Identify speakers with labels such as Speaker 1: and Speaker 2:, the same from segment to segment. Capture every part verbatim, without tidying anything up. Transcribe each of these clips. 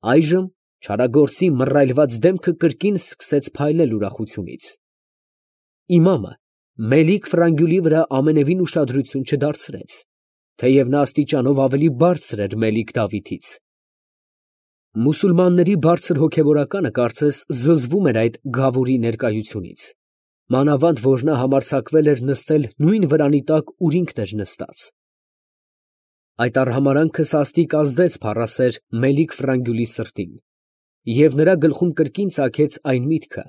Speaker 1: Այժմ չարագործի մռայլված դեմքը կրկին սկսեց փայլել ուրախությունից։ Իմամը Մելիք Ֆրանգյուլի վրա ամենևին ուշադրություն չդարձրեց, թեև նա աստիճանով ավելի բարձր էր Մելիք Դավիթից։ Մուսուլմանների բարձր հոգևորականը կարծես զզվում էր այդ գավուրի ներկայությունից, մանավանդ որ նա համարձակվել էր նստել նույն վրանի տակ, ուր ինքն էր նստած։ Այդ արհամարանքը սաստիկ ազդեց փառասեր Մելիք Ֆրանգյուլի սրտին, և նրա գլխում կրկին ծագեց այն միտքը,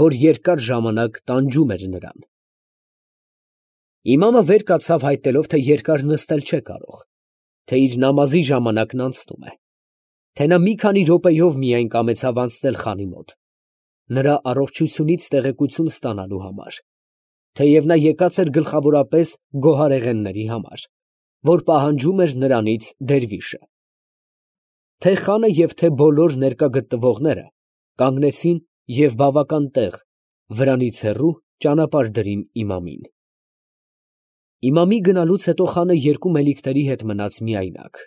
Speaker 1: որ երկար ժամանակ տանջում էր նրան։ Իմամը վեր կացավ հայտնելով, թե երկար նստել չէ կարող, թե իր նամազի ժամանակն անցնում է, թե նա մի քանի րոպեով միայն կամեցավ անցնել խանի մոտ, նրա առողջությունից տեղեկություն ստանալու համար, թեև նա եկած էր գլխավորապես գոհարեղենների համար, որ պահանջում էր նրանից դերվիշը։ Թե խանը և թե բոլոր ներկա գտնվողները կանգնեցին և բավական տեղ, վրանից հեռու ճանապարհ դրին իմամին։ Իմամի գնալուց հետո խանը երկու մելիքների հետ մնաց միայնակ։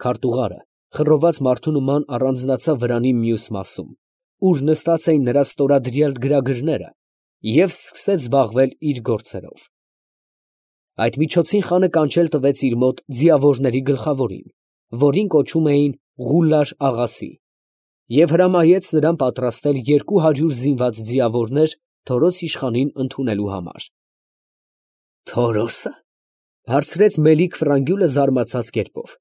Speaker 1: Քարտուղարը խռոված մարդու նման առանձնացավ վրանի մյուս մասում, ուր նստած էին նրա ստորադրյալ գրագրները, և սկսեց զբաղվել իր գործերով։ Այդ միջոցին խանը կանչել տվեց իր մոտ ձիավորների գլխավորին, որին կոչում էին Ղուլլար աղասի, և հրամայեց նրան պատրաստել երկու հարյուր զինված ձիավորներ Թորոս իշխանին ընդունելու համար։ «Թորո՞սը, ֊ հարցրեց Մելիք Ֆրանգյուլը զարմացած կերպով,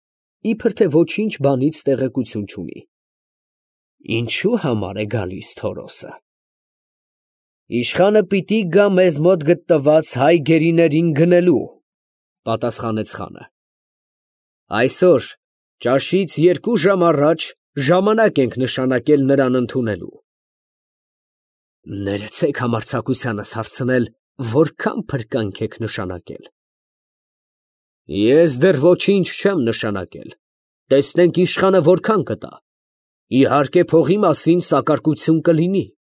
Speaker 1: իբր թե ոչինչ բանից տեղեկություն չունի։ ֊ Ինչո՞ւ համար է գալիս Թորոսը։ ֊ Իշխանը պիտի գա մեզ մոտ գտնված հայ գերիներին գնելու, ֊ պատասխանեց խանը։ ֊ Այսօր ճաշից երկու ժամ առաջ ժամանակ ենք նշանակել նրան ընդունելու։ ֊ Ներեցեք համարձակությանս հարցնել, որքան փրկանք եք նշանակել։ ֊ Ես դեռ ոչինչ չեմ նշանակել, տեսնենք իշխանը որքան կտա, իհարկե փողի մասին սակարկություն կլինի։ ֊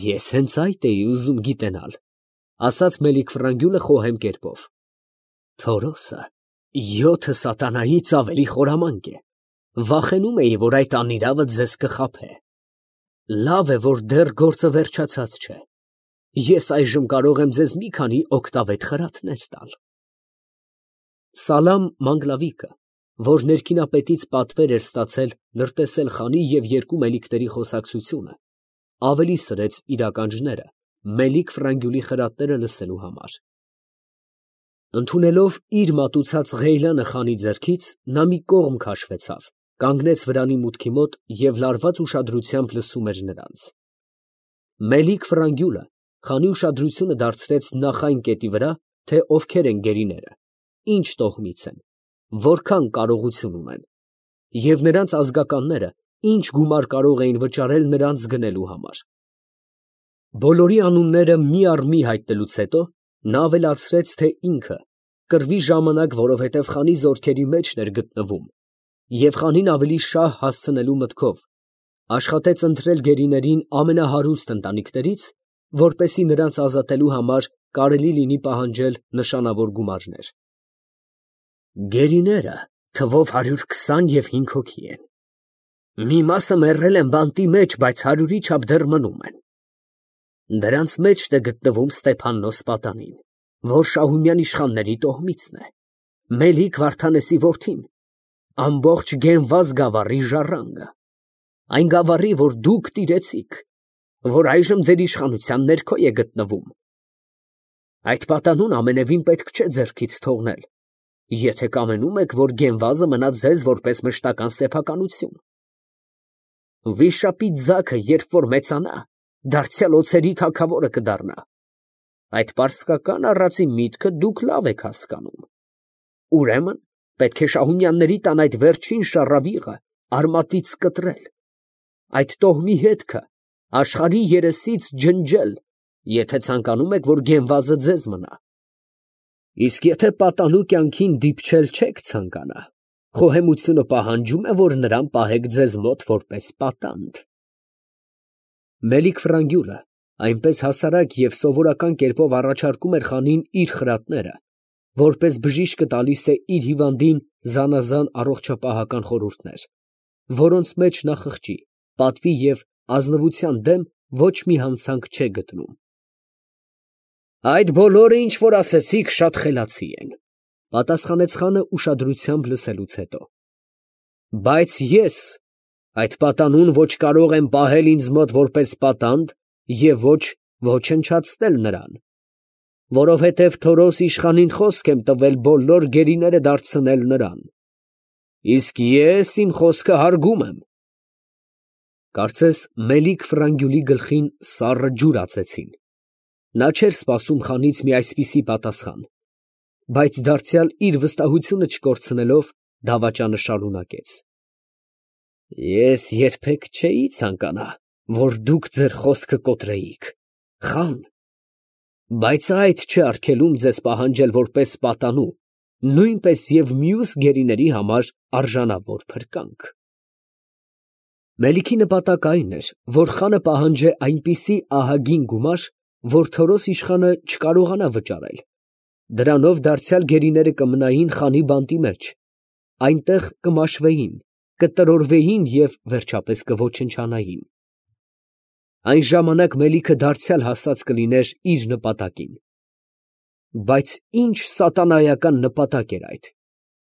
Speaker 1: Ես հենց այդ էի ուզում գիտենալ, ֊ ասաց Մելիք Ֆրանգյուլը խոհեմ կերպով։ ֊ Թորոսը յոթը սատանայից ավելի խորամանկ է, վախենում էի, որ այդ անիրավը ձեզ կխաբե։ Լավ է, որ դեռ գործը վերջացած չէ, ես այժմ կարող եմ ձեզ մի քանի օգտավետ խրատներ տալ։ Սալամ Մանգլավիկը, որ ներքինապետից պատվեր էր ստացել լրտեսել խանի և երկու մելիքների խոսակցությունը, ավելի սրեց իր ականջները Մելիք Ֆրանգյուլի խրատները լսելու համար։ Ընդունելով իր մատուցած ղեյլանը խանի ձեռքից, նա մի կողմ քաշվեցավ, կանգնեց վրանի մուտքի մոտ և լարված ուշադրությամբ լսում էր նրանց։ Մելիք Ֆրանգյուլը խանի ուշադրությունը դարձրեց նախ այն կետի վրա, թե ովքեր են գերիները, ինչ տոհմից են, որքան կարողություն ունեն, և նրանց ազգականները ինչ գումար կարող էին վճարել նրանց գնելու համար։ Բոլորի անունները մի առ մի հայտնելուց հետո, նա ավելացրեց, թե ինքը կռվի ժամանակ, որովհետև խանի զորքերի մեջն էր գտնվում, և խանին ավելի շահ հասցնելու մտքով, աշխատեց ընտրել գերիներին ամենահարուստ ընտանիքներից, որպեսզի նրանց ազատելու համար կարելի լինի պահանջել նշանավոր գումարներ։ Գերիները թվով հարյուր քսան և հինգ հոգի են. մի մասը մեռել են բանտի մեջ, բայց հարյուրի չափ դեռ մնում են։ Դրանց մեջն է գտնվում Ստեփաննոս պատանին, որ Շահումյան իշխանների տոհմիցն է, Մելիք Վարդանեսի որդին, ամբողջ Գենվազ գավառի ժառանգը, այն գավառի, որ դուք տիրեցիք, որ այժմ ձեր իշխանության ներքո է գտնվում։ Այդ պատանուն ամենևին պետք չէ ձեռքից թողնել, եթե կամենում եք, որ Գենվազը մնա ձեզ որպես մշտական սեփականություն։ Վիշապի ձագը, երբ որ մեծանա, դարձյալ օձերի թագավորը կդառնա։ Այդ պարսկական առածի միտքը դուք լավ եք հասկանում։ Ուրեմն պետք է Շահումյանների տան այդ վերջին շառավիղը արմատից կտրել, այդ տոհմի հետքը աշխարհի երեսից ջնջել, եթե ցանկանում եք, որ Գենվազը ձեզ մնա։ Իսկ եթե պատանու կյանքին դիպչել չեք ցանկանա, խոհեմությունը պահանջում է, որ նրան պահեք ձեզ մոտ որպես պատանդ։ Մելիք Ֆրանգյուլը այնպես հասարակ և սովորական կերպով առաջարկում էր խանին իր խրատները, որպես բժիշկը տալիս է իր հիվանդին զանազան առողջապահական խորհուրդներ, որոնց մեջ նա խղճի, պատվի և ազնվության դեմ ոչ մի հանցանք չէ գտնում։ Այդ բոլորը, ինչ որ ասեցիք, շատ խելացի են, պատասխանեց խանը ուշադրությամբ լսելուց հետո, բայց ես այդ պատանուն ոչ կարող եմ պահել ինձ մոտ որպես պատանդ և ոչ ոչնչացնել նրան, որովհետև Թորոս իշխանին խոսք եմ տվել բոլոր գերիները դարձնել նրան, իսկ ես իմ խոսքը հարգում եմ։ Կարծես Մելիք֊Ֆրանգյուլի գլխին սառը ջուր ածեցին. նա չէր սպասում խանից մի այսպիսի պատասխան, բայց դարձյալ իր վստահությունը չկորցնելով, դավաճանը շարունակեց. Ես երբեք չէի ցանկանա, որ դուք ձեր խոսքը կոտրեիք, խան, բայց այդ չէ արգելում ձեզ պահանջել որպես պատանու, նույնպես և մյուս գերիների համար արժանավոր փրկանք։ Մելիքի նպատակը այն էր, որ խանը պահանջե այնպիսի ահագին գումար, որ Թորոս իշխանը չկարողանա վճարել, դրանով դարձյալ գերիները կմնային խանի բանտի մեջ, այնտեղ կմաշվեին, կտրորվեին և վերջապես կոչնչանային։ Այն ժամանակ Մելիքը դարձյալ հասած կլիներ իր նպատակին։ Բայց ի՞նչ սատանայական նպատակ էր այդ,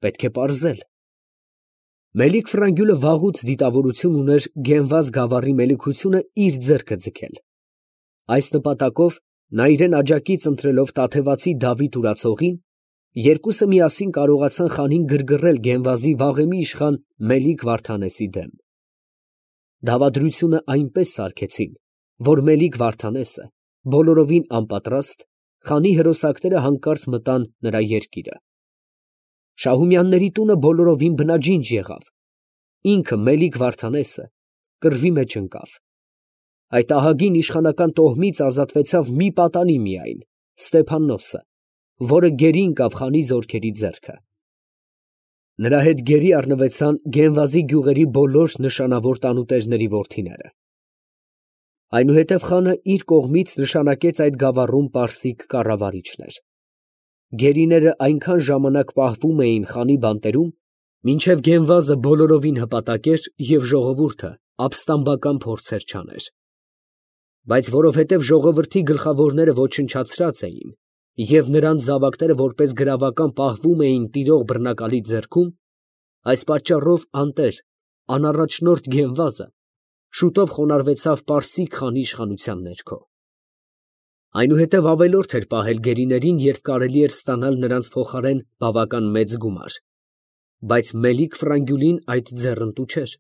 Speaker 1: պետք է պարզել։ Մելիք֊Ֆրանգյուլը վաղուց դիտավորություն ուներ Գենվազ գավառի մելիքությունը իր ձեռքը ձգել։ Այս նպատակով նա իրան աջակից ընտրելով Տաթևացի Դավիթ Ուրացողին, երկուսը միասին կարողացան խանին գրգռել Գենվազի վաղեմի իշխան Մելիք֊Վարդանեսի դեմ։ Դավադրությունը այնպես սարքեցին, որ Մելիք֊Վարդանեսը, բոլորովին անպատրաստ, խանի հրոսակները հանկարծ մտան նրա երկիրը։ Շահումյանների տունը բոլորովին բնաջինջ եղավ, ինքը Մելիք֊Վարդանեսը կռվի մեջ ընկավ։ Այդ ահագին իշխանական տոհմից ազատվեցավ մի պատանի միայն, Ստեփաննոսը, որը գերի ընկավ խանի զորքերի ձեռքը։ Նրա հետ գերի առնվեցան Գենվազի գյուղերի բոլոր նշանավոր տանուտերների որդիները։ Այնուհետև խանը իր կողմից նշանակեց այդ գավառում պարսիկ կառավարիչներ։ Գերիները այնքան ժամանակ պահվում էին խանի բանտերում, մինչև Գենվազը բոլորովին հպատակեր և ժողովուրդը ապստամբական փորձեր չաներ։ Բայց որովհետև ժողովրդի գլխավորները ոչնչացրած էին, և նրանց զավակները որպես գրավական պահվում էին տիրող բռնակալի ձեռքում, այս պատճառով անտեր, անառաջնորդ Գենվազը շուտով խոնարհվեցավ պարսիկ խանի իշխանության ներքո։ Այնուհետև ավելորդ էր պահել գերիներին, երբ կարելի էր ստանալ նրանց փոխարեն բավական մեծ գումար, բայց Մելիք֊Ֆրանգյուլին այդ ձեռնտու չէր։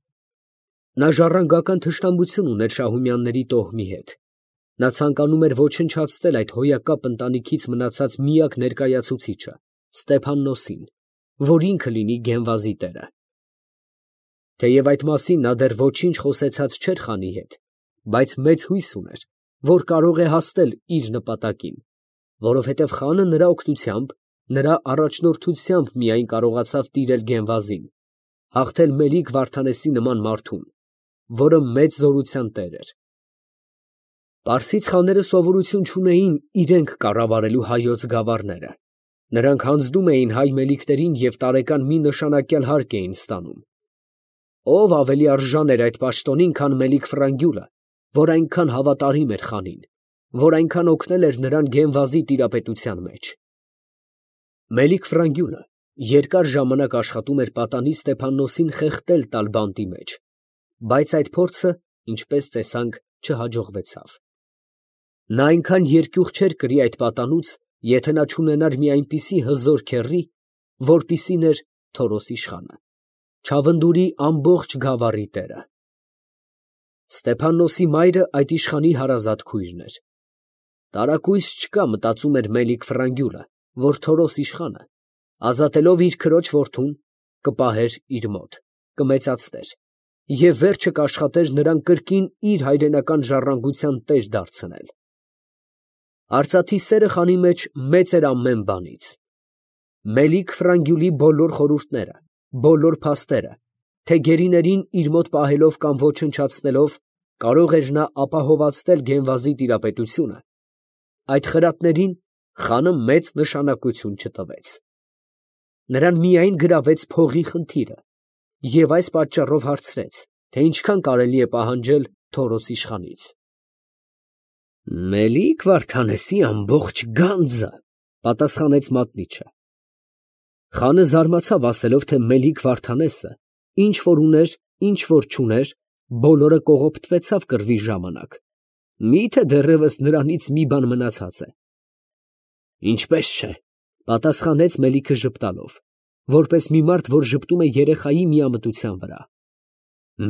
Speaker 1: Նա ժառանգական թշնամություն ուներ Շահումյանների տոհմի հետ։ Նա ցանկանում էր ոչնչացնել այդ հոյակապ ընտանիքից մնացած միակ ներկայացուցիչը՝ Ստեփաննոսին, որ ինքը լինի Գենվազի տերը։ Թեև այդ մասին նա դեռ ոչինչ խոսեցած չէր խանի հետ, բայց մեծ հույս ուներ, որ կարող է հասնել իր նպատակին, որովհետև խանը նրա օգնությամբ, նրա առաջնորդությամբ միայն կարողացավ տիրել Գենվազին, հաղթել Մելիք-Վարդանեսի նման մարդուն, որը մեծ զորության տեր էր։ Պարսից խաները սովորություն չունեին իրենք կառավարելու հայոց գավառները. նրանք հանձնում էին հայ մելիքներին և տարեկան մի նշանակյալ հարկ էին ստանում։ Ո՞վ ավելի արժան էր այդ պաշտոնին, քան Մելիք֊Ֆրանգյուլը, որ այնքան հավատարիմ էր խանին, որ այնքան օգնել էր նրան Գենվազի տիրապետության մեջ։ Մելիք֊Ֆրանգյուլը երկար ժամանակ աշխատում էր պատանի Ստեփաննոսին խեղդել տալ բանտի մեջ, բայց այդ փորձը, ինչպես տեսանք, չհաջողվեցավ։ Նա այնքան երկյուղ չէր կրի այդ պատանուց, եթե նա չունենար մի այնպիսի հզոր քեռի, որպիսին էր Թորոս իշխանը, Չավնդուրի ամբողջ գավառի տերը։ Ստեփաննոսի մայրը այդ իշխանի հարազատ քույրն էր։ Տարակույս չկա, մտածում էր Մելիք֊Ֆրանգյուլը, որ Թորոս իշխանը, ազատելով իր քրոջ որդուն, կպահեր իր մոտ, կմեծացներ և վերջը կաշխատեր նրան կրկին իր հայրենական ժառանգության տեր դարձնել։ Արծաթի սերը խանի մեջ մեծ էր ամեն բանից։ Մելիք֊Ֆրանգյուլի բոլոր խորհուրդները, բոլոր փաստերը, թե գերիներին իր մոտ պահելով կամ ոչնչացնելով կարող էր նա ապահովացնել Գենվազի տիրապետությունը, այդ խրատներին խանը մեծ նշանակություն չտվեց։ Նրան միայն գրավեց փողի խնդիրը և այս պատճառով հարցրեց, թե ինչքան կարելի է պահանջել Թորոս իշխանից։ Մելիք Վարդանեսի ամբողջ գանձը, պատասխանեց մատնիչը։ Խանը զարմացավ, ասելով, թե Մելիք Վարդանեսը ինչ որ ուներ, ինչ որ չուներ, բոլորը կողոպտվեցավ կռվի ժամանակ, միթե դեռևս նրանից մի բան մնացած է։ Ինչպես չէ, պատասխանեց Մելիքը ժպտալով, որպես մի մարդ, որ ժպտում է երեխայի միամտության վրա։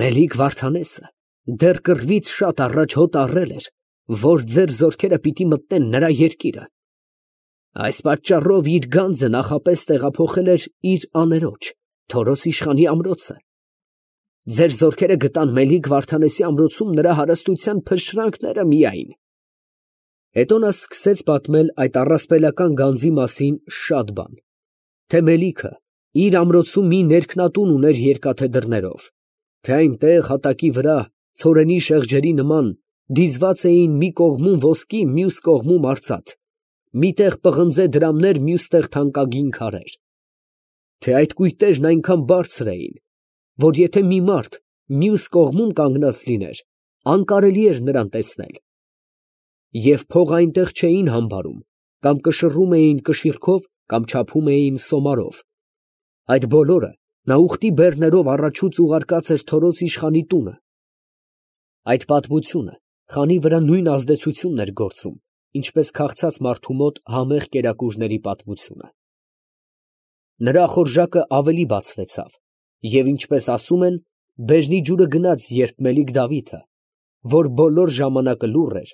Speaker 1: Մելիք Վարդանեսը դեռ կռվից շատ առաջ հոտ առել էր, որ ձեր զորքերը պիտի մտնեն նրա երկիրը։ Այս պատճառով իր գանձը նախապես տեղափոխել էր իր աներոջ, Թորոս իշխանի ամրոցը։ Ձեր զորքերը գտան Մելիք Վարդանեսի ամրոցում նրա հարստության փշրանքները միայն։ Հետո նա սկսեց պատմել այդ առասպելական գանձի մասին շատ բան, թե Մելիքը իր ամրոցում մի ներքնատուն ուներ երկաթե դռներով, թե այնտեղ հատակի վրա ցորենի շեղջերի նման դիզված էին մի կողմում ոսկի, մյուս կողմում արծաթ, մի տեղ պղնձե դրամներ, մյուս տեղ թանկագին քարեր, թե այդ կույտերն այնքան բարձր էին, որ եթե մի մարդ մյուս կողմում կանգնած լիներ, անկարելի էր նրան տեսնել, և փող այնտեղ չէին համբարում, կամ կշռում էին կշիռքով, կամ չափում էին սոմարով։ Այդ բոլորը նա ուխտի բեռներով առաջուց ուղարկած էր Թորոս իշխանի տունը։ Այդ պատմությունը խանի վրա նույն ազդեցությունն էր գործում, ինչպես քաղցած մարդու մոտ համեղ կերակուրների պատմությունը։ Նրա խորժակը ավելի բացվեցավ, և ինչպես ասում են, բերնի ջուրը գնաց, երբ Մելիք Դավիթը, որ բոլոր ժամանակը լուռ էր,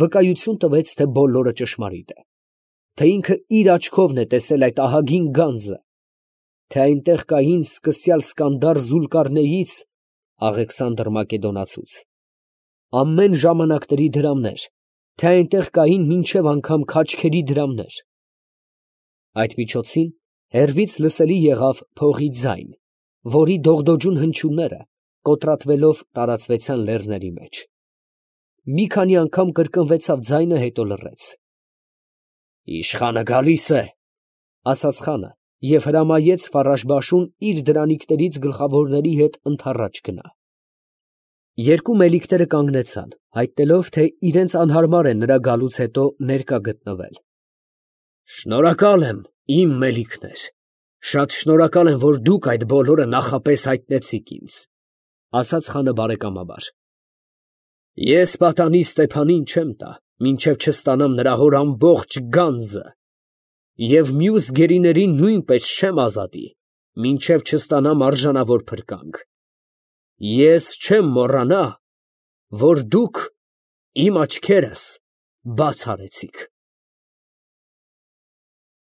Speaker 1: վկայություն տվեց, թե բոլորը ճշմարիտ է, թե ինքը իր աչքովն է տեսել այդ ահագին գանձը, թե այնտեղ կային սկսյալ Սկանդար Զուլկարնեյից (Աղեքսանդր Մակեդոնացուց) ամեն ժամանակների դրամներ, թե այնտեղ կային մինչև անգամ քաչքերի դրամներ։ Այդ միջոցին հեռվից լսելի եղավ փողի ձայն, որի դողդոջուն հնչյունները կոտրատվելով տարածվեցան լեռների մեջ։ Մի քանի անգամ կրկնվեցավ ձայնը, հետո լռեց։ «Իշխանը գալիս է», ֊ ասաց խանը և հրամայեց Ֆարաշ֊Բաշուն իր դրանիկներից գլխավորների հետ ընդառաջ գնա։ Երկու մելիքները կանգնեցան, հայտնելով, թե իրենց անհարմար է նրա գալուց հետո ներկա գտնվել։ «Շնորհակալ եմ, իմ մելիքներ, շատ շնորհակալ եմ, որ դուք այդ բոլորը նախապես հայտնեցիք ինձ, ֊ ասաց խանը բարեկամաբար։ Ես պատանի Ստեփանին չեմ տա, մինչև չստանամ նրա հոր ամբողջ գանձը, և մյուս գերիներին նույնպես չեմ ազատի, մինչև չստանամ արժանավոր փրկանք։ Ես չեմ մոռանա, որ դուք իմ աչքերս բաց արեցիք»։